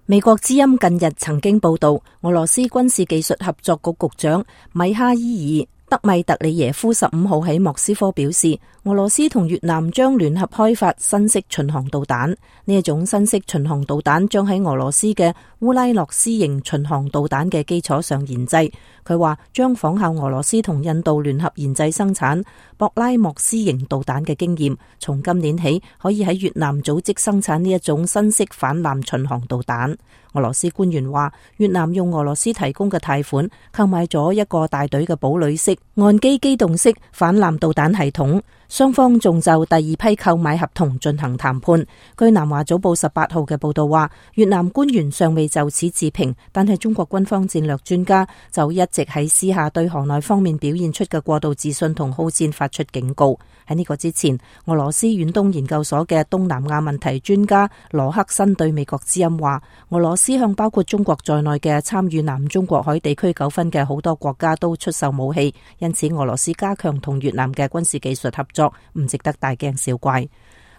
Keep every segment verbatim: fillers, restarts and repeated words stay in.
美國之音近日曾經報道，俄羅斯軍事技術合作局局長米哈伊爾德米特里耶夫十五號喺莫斯科表示，俄羅斯同越南將聯合開發新式巡航導彈。呢一種新式巡航導彈將喺俄羅斯嘅烏拉諾斯型巡航導彈嘅基礎上研製。佢話將仿效俄羅斯同印度聯合研製生產博拉莫斯型導彈嘅經驗，從今年起可以喺越南組織生產呢一種新式反艦巡航導彈。俄羅斯官員話，越南用俄羅斯提供嘅貸款購買咗一個大隊嘅堡壘式岸基機動式反艦導彈系統，雙方仲就第二批購買合同進行談判。據南華早報十八號嘅報道話，越南官員尚未就此置評，但係中國軍方戰略專家就一直喺私下對河內方面表現出嘅過度自信同好戰發出警告。喺呢個之前，俄羅斯遠東研究所嘅東南亞問題專家羅克申對美國之音話，俄羅斯向包括中國在內嘅參與南中國海地區糾紛嘅好多國家都出售武器，因此俄羅斯加強同越南嘅軍事技術合作唔值得大驚小怪。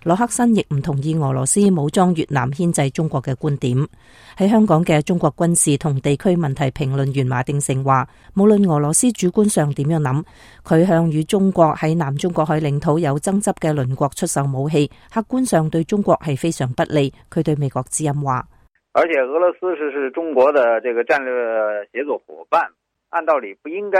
羅克申亦唔同意俄羅斯武裝越南牽制中國嘅觀點。喺香港嘅中國軍事同地區問題評論員馬鼎盛話，無論俄羅斯主觀上點樣諗，佢向與中國喺南中國海領土有爭執嘅鄰國出售武器，客觀上對中國係非常不利。佢對美國之音話，而且俄羅斯是是中國的這個戰略協作夥伴，按道理不應該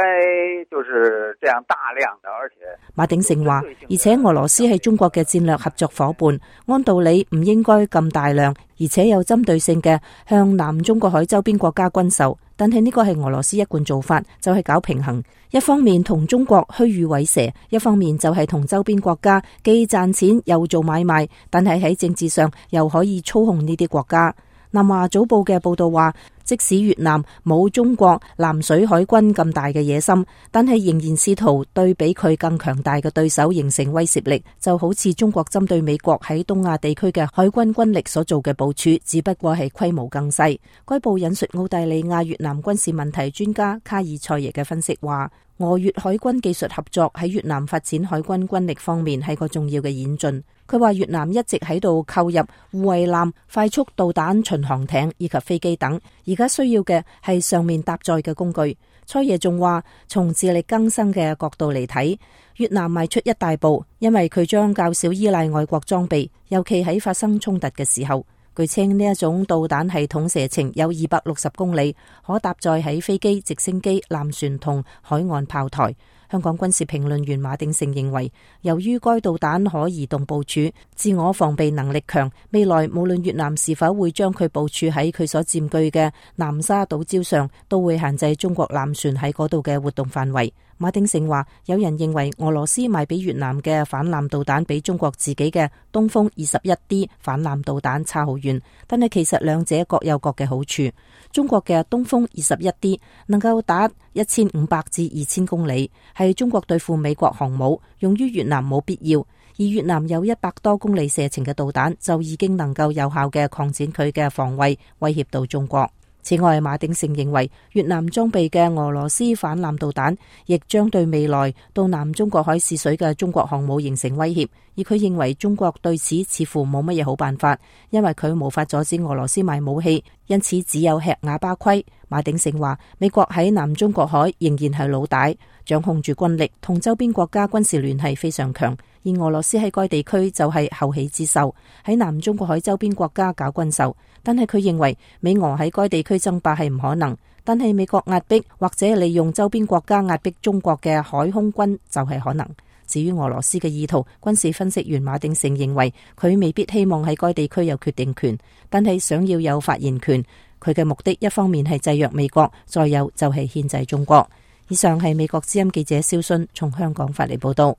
就是這樣大量的，而且馬鼎盛話，而且俄羅斯係中國嘅戰略合作夥伴，按道理唔應該咁大量，而且有針對性嘅向南中國海周邊國家軍售。但係呢個係俄羅斯一貫做法，就係搞平衡，一方面同中國虛與委蛇，一方面就係同周邊國家既賺錢又做買賣，但係喺政治上又可以操控呢啲國家。南華早報嘅報道話，即使越南冇中國南水海軍咁大嘅野心，但係仍然試圖對比佢更強大嘅對手形成威懾力，就好似中國針對美國喺東亞地區嘅海軍軍力所做嘅部署，只不過係規模更細。該報引述澳大利亞越南軍事問題專家卡爾塞耶嘅分析話，俄越海軍技術合作喺越南發展海軍軍力方面係個重要嘅演進。佢話越南一直喺度購入護衛艦、快速導彈巡航艇以及飛機等，而家需要嘅係上面搭載嘅工具。塞耶仲話，從自力更生嘅角度嚟睇，越南邁出一大步，因為佢將較少依賴外國裝備，尤其喺發生衝突嘅時候。據稱呢一種導彈系統射程有二百六十公里，可搭載喺飛機、直升機、艦船同海岸炮台。香港軍事評論員馬鼎盛認為，由於該導彈可移動部署，自我防備能力強，未來無論越南是否會將佢部署喺佢所佔據嘅南沙島礁上，都會限制中國艦船喺嗰度嘅活動範圍。馬鼎盛話，有人認為俄羅斯賣俾越南嘅反艦導彈比中國自己嘅東風二十一 D 反艦導彈差好遠，但係其實兩者各有各嘅好處。中國嘅東風二十一 D 能夠打一千五百至二千公里，係中國對付美國航母，用於越南冇必要。而越南有一百多公里射程嘅導彈，就已經能夠有效嘅擴展佢嘅防衛，威脅到中國。此外，馬鼎盛認為越南裝備嘅俄羅斯反艦導彈亦將對未來到南中國海試水嘅中國航母形成威脅，而佢認為中國對此似乎冇乜嘢好辦法，因為佢無法阻止俄羅斯賣武器，因此只有吃啞巴虧。馬鼎盛話，美國喺南中國海仍然係老大，掌控住軍力，同周邊國家軍事聯繫非常強，而俄羅斯喺該地區就係後起之秀，喺南中國海周邊國家搞軍售。但係佢認為美俄喺該地區爭霸係唔可能，但係美國壓迫或者利用周邊國家壓迫中國嘅海空軍就係可能。至於俄羅斯嘅意圖，軍事分析員馬鼎盛認為佢未必希望喺該地區有決定權，但係想要有發言權。佢嘅目的一方面係制約美國，再有就係牽制中國。以上係美國之音記者蕭迅從香港發嚟報道。